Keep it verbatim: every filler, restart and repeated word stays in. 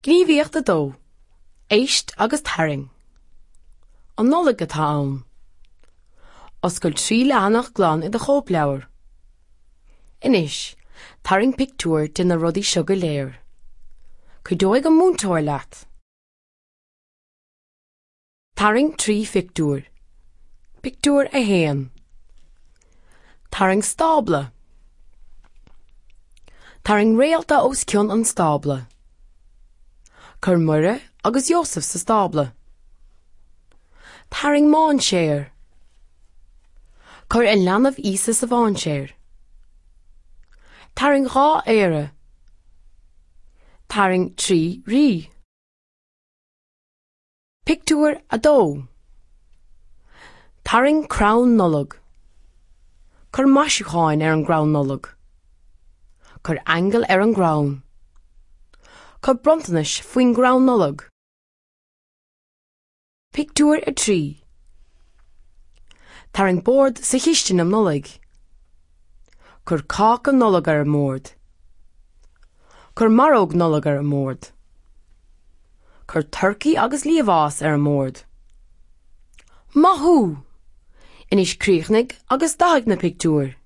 Gníomhaíocht a dó. Éist agus tarraing. An Nollaig atá ann. Oscail trí leathanach glan i do chóipleabhar. Anois, tarraing pictiúr de na rudaí seo go léir. Cuideoidh an múinteoir leat. Tarraing trí phictiúr. Pictiúr a haon. Tarraing stábla. Tarraing réalta os cionn an stábla. Cuir Muire agus Iósaf sa stábla. Tarraing mainséar. Cuir an leanbh Íosa sa mhainséar. Tarraing dhá aoire. Tarraing trí rí. Pictiúr a dó. Tarraing crann Nollag. Cuir maisiúcháin ar an gcrann Nollag. Cuir aingeal ar an gcrann. Cuir bronntanais faoin gcrann Nollag. Pictiúr a trí. Tarraing bord sa chistin um Nollaig. Cuir cáca Nollag ar an mbord. Cuir maróg Nollag ar an mbord. Cuir turcaí agus liamhás ar an mbord. Maith thú! Anois críochnaigh agus dathaigh na pictiúir.